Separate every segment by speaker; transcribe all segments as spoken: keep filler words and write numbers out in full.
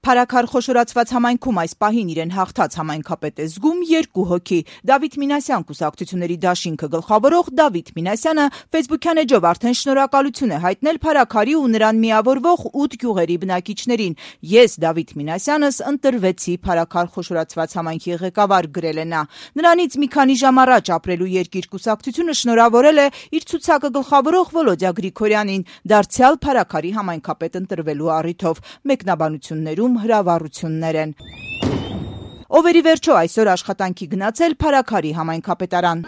Speaker 1: Փարաքար խոշորացված համայնքում այս պահին իրեն հաղթած համայնքապետ է զգում երկու հոգի։ Դավիթ Մինասյան կուսակցությունների դաշինքը գլխավորող Դավիթ Մինասյանը ֆեյսբուքյան էջով արդեն շնորհակալություն է հայտնել Փարաքարի ու նրան միավորվող ութ գյուղերի բնակիչներին։ Ես Դավիթ Մինասյանս ընտրվեցի Փարաքար խոշորացված համայնքի ղեկավար, գրել է նա։ Նրանից մի քանի ժամ առաջ ապրելու երկիր կուսակցությունը շնորհավորել է իր ցուցակը գլխավորող Վոլոդյա Գրիգորյանին դարձյալ Փարաքարի համայնքապետ ընտրվելու առիթով։ Մեկնաբանություններում հրավառություններ են։ Ով էր ի վերջո այսօր աշխատանքի գնացել Փարաքարի համայնքապետարան։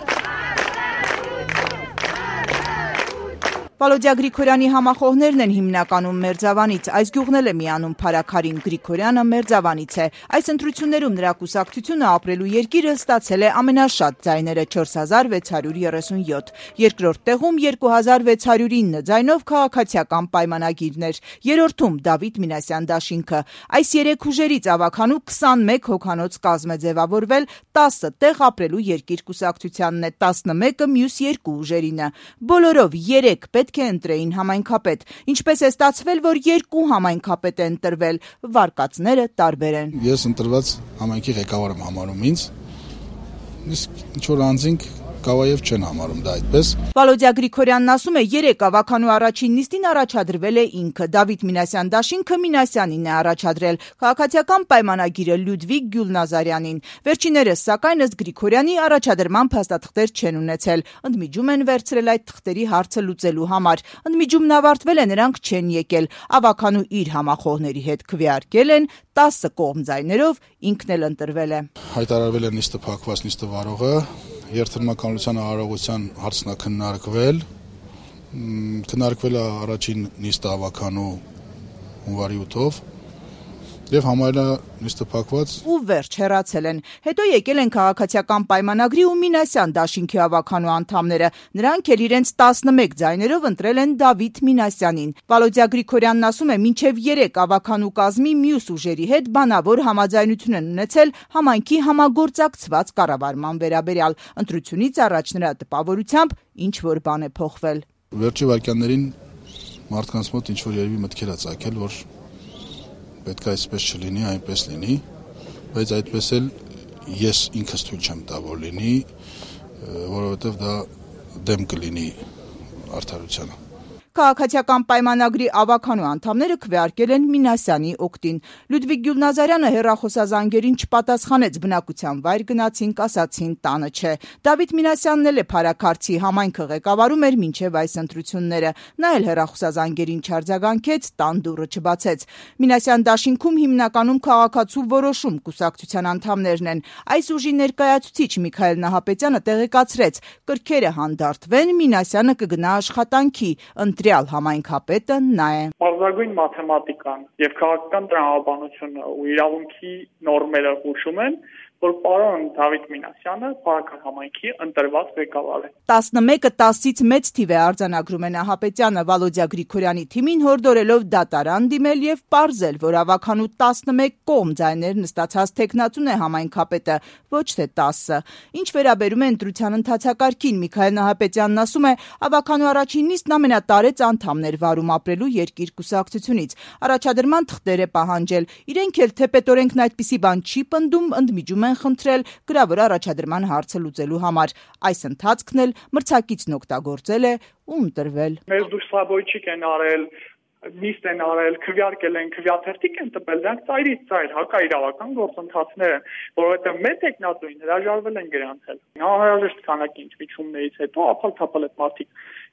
Speaker 1: Վոլոդյա Գրիգորյանի համախոհներն են հիմնականում Մերձավանից, այս գյուղն էլ է միանում Փարաքարին, Գրիգորյանը Մերձավանից է։ Այս ընտրություններում նրա կուսակցությունը ապրելու երկիրը ստացել է ամենաշատ ձայները չորս հազար վեց հարյուր երեսունյոթ, երկրորդ տեղում երկու հազար վեց հարյուր ինը ձայնով քաղաքացիական պայմանագիրն էր, երրորդում Դավիթ Մինասյան դաշինքը։ Այս երեք ուժերից ավագանու քսանմեկ հոգանոց կազմ է ձևավորվել, տասը տեղ ապրելու երկիր կուսակցությանն է, տասնմեկը մյուս երկու ուժերինը։ Բոլորով երեք պետք է ընտրեին համայնքապետ։ Ինչպես է ստացվել, որ երկու համայնքապետ է ընտրվել, վարկածները տարբեր են։
Speaker 2: Ես ընտրված համայնքի ղեկավար եմ համարում ինձ, իսկ ինչ-որ անձինք Կավաև չեն համարում դա այդպես։
Speaker 1: Վոլոդյա Գրիգորյանն ասում է, երեք ավագանու առաջին նիստին առաջադրվել է ինքը, Դավիթ Մինասյան դաշինքը Մինասյանին է առաջադրել, քաղաքացիական պայմանագիրը Լյուդվիգ Գյուլնազարյանին։ Վերջիններս, սակայն, ըստ Գրիգորյանի, առաջադրման փաստաթղթեր չեն ունեցել, ընդմիջում են վերցրել այդ թղթերի հարցը լուծելու համար։ Ընդմիջումն ավարտվել է, նրանք չեն եկել, ավագանու իր համախոհների հետ քվեարկել են, տասը կողմ ձայներով ինքն էլ ընտրվել է։
Speaker 2: Հայտարարվել է նիստը փակված, նիստը վարողը Երթրմականության արարողության հարցն է քննարկվել, քննարկվել է առաջին նիստը ավագանու հունվարի ութով եւ համարել է նիստը փակված
Speaker 1: ու վերջ հեռացել են։ Հետո եկել են քաղաքացիական պայմանագրի ու Մինասյան դաշինքի ավագանու անդամները։ Նրանք էլ իրենց տասնմեկ ձայներով ընտրել են Դավիթ Մինասյանին։ Վոլոդյա Գրիգորյանն ասում է, մինչև երեք ավագանու կազմի մյուս ուժերի հետ բանավոր համաձայնություն են ունեցել համայնքի համագործակցված կառավարման վերաբերյալ։ Ընտրությունից առաջ նրա տպավորությամբ ինչ որ բան է փոխվել։
Speaker 2: Վերջի վայրկյաններին մարդկանց մոտ ինչ որ երևի մտքեր է ծագել, որ պետք է այսպես չլինի, այնպես լինի, բայց այդպես էլ ես ինքս թույլ չեմ տա, որ լինի, որովհետև դա դեմ կլինի արդարությանը։
Speaker 1: Քաղաքացիական պայմանագրի ավագանու անդամները քվեարկել են Մինասյանի օգտին։ Լյուդվիգ Գյուլնազարյանը հեռախոսազանգերին չպատասխանեց, բնակության վայր գնացինք, ասացին տանը չէ։ Դավիթ Մինասյանն էլ է Փարաքարցի համայնքը ղեկավարում էր մինչև այս ընտրությունները։ Նա էլ հեռախոսազանգերին չարձագանքեց, տան դուռը չբացեց։ Մինասյան դաշինքում հիմնականում քաղաքացու որոշում կուսակցության անդամներն են։ Այս ուժի ներկայացուցիչ Միքայել Նահապետյանը տեղեկացրեց, կրքերը հանդարտվեն, Մինասյանը կգնա աշխատանքի, ընտրյալ համայնքապետը նա է։
Speaker 3: Բարձրագույն մաթեմատիկան եւ քաղաքական տրամաբանությունը ու իրավունքի նորմերը հուշում են, որ պարոն Դավիթ Մինասյանը Փարաքար համայնքի ընտրված ղեկավար է։
Speaker 1: տասնմեկը տասից մեծ թիվ է արձանագրում է Նահապետյանը Վոլոդյա Գրիգորյանի թիմին հորդորելով դատարան դիմել եւ պարզել, որ ավագանու տասնմեկ կողմ ձայներ նստացած տեխնատուն է համայնքապետը, ոչ թե տասը։ Ինչ վերաբերում է ընտրության ընթացակարգին, Միքայել Նահապետյանն ասում է, ավագանու առաջին նիստն ամենատարեց անդամներ վարում ապրելու երկիր կուսակցությունից։ Առաջադրման թղթեր է պահանջել։ Իրենք էլ թե պետօրենքն այդպիսի բան չի պնդում, ընդմիջում են խնդրել գրավոր առաջադրման հարցը լուծելու համար։ Այս ընթացքն էլ մրցակիցն օգտագործել է ու ընտրվել։
Speaker 3: Մեր դուստրաբոյչիկ են արել, նիստ են արել, քվեարկել են, քվեաթերթիկ են տպել, դրանք ծայրից ծայր հակաիրավական գործընթացներ են, որովհետև մեր տեխնատուին հրաժարվել են գրանցել։ Անհրաժեշտ քանակի ինչմիջումներից հետո ափալ-թափալ այդ մարդիկ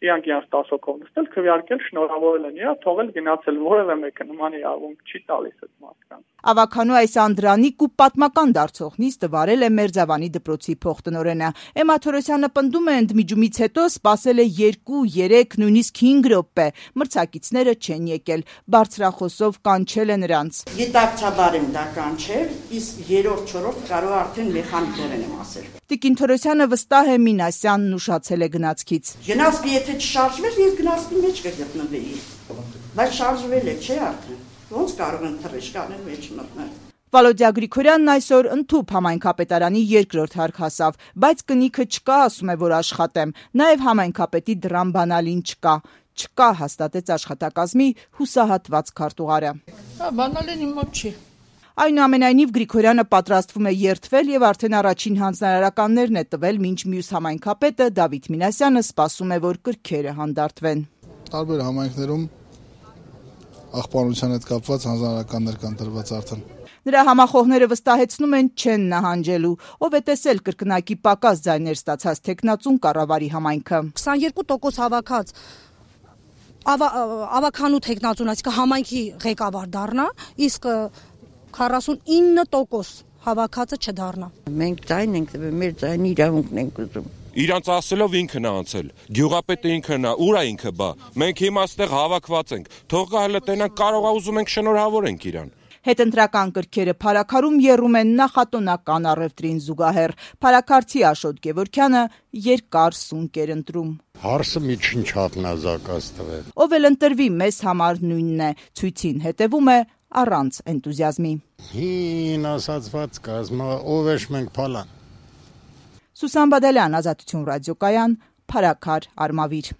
Speaker 3: իրանք իրանք տասը հոգով նստել, քվեարկել, շնորհավորել են իրա, թողել գնացել, որևէ մեկը նման իրավունք չի տալիս այդ մարդկանց։
Speaker 1: Ավագանու այս անդրանիկ ու պատմական դարձող նիստը վարել է Մերձավանի դպրոցի փոխտնօրենը։ Էմմա Թորոսյանը պնդում է, ընդմիջումից հետո սպասել է երկու, երեք, նույնիսկ հինգ րոպե։ Մրցակիցները չեն եկել, բարձրախոսով կանչել է նրանց։
Speaker 4: Գիտակցաբար եմ դա կանչել, իսկ երրորդ, չորրորդ կարող արդեն մեխանիկորեն եմ ասել։
Speaker 1: Տիկին Թորոսյանը վստահ է Մինասյանն ուշացել է գնացքից։
Speaker 4: Գնացքի եթե չշարժվեր, ես գնացքի մեջ կգտնվեի, բայց շարժվել է, չէ արդեն։ Ոնց կարող են թռիչքաներ մեջ մտնել։
Speaker 1: Վոլոդյա Գրիգորյանն այսօր ընդཐུպ համայնքապետարանի երկրորդ հարկ հասավ, բայց կնիքը չկա, ասում է, որ աշխատեմ, նաև համայնքապետի դրան բանալին չկա։ Չկա, հաստատեց աշխատակազմի հուսահատված քարտուղարը։
Speaker 5: Հա, բանալին իմ մոտ չի։
Speaker 1: Այնուամենայնիվ Գրիգորյանը պատրաստվում է երդվել եւ արդեն առաջին հանձնարարականներն է տվել, մինչ մյուս համայնքապետը Դավիթ Մինասյանը սպասում է, որ կրքերը հանդարտվեն։
Speaker 2: Տարբեր համայնքներում աղբանության հետ կապված հանձնարարականներ կան տրված արդեն։
Speaker 1: Նրա համախոհները վստահեցնում են չեն նահանջելու, ով է տեսել կրկնակի պակաս ձայներ ստացած թեկնածուն կառավարի համայնքը։
Speaker 5: քսաներկու տոկոս հավաքած ավականու թեկնածուն, այսինքն համայնքի ղեկավար դառնա, իսկ քառասունինը տոկոս հավաքածը չդառնա։
Speaker 6: Մենք ձայն ենք տվել, մեր ձայնի իրավունքն ենք ուզում։
Speaker 7: Իրանց ասելով ինքն է անցել, գյուղապետը ինքն է, ուր է ինքը բա։ Մենք հիմա այստեղ հավաքված ենք, թող գա հələ տենան, կարող է ուզում ենք շնորհավորենք իրան։
Speaker 1: Հետընտրական կրքերը Փարաքարում եռում են նախատոնական առևտրին զուգահեռ։ Փարաքարցի Աշոտ Գևորգյանը երկար սունկ էր ընտրում։
Speaker 8: Հարսը միջին չափն ազակած տվել։
Speaker 1: Ով էլ ընտրվի, մեզ համար նույնն է, ցույցին հետևում է առանց էնտուզիազմի։
Speaker 8: Հին ասացված կազմա, ով էշ մենք փալան։
Speaker 1: Սուսան Բադալյան, Ազատություն ռադիոկայան, Փարաքար, Արմավիր։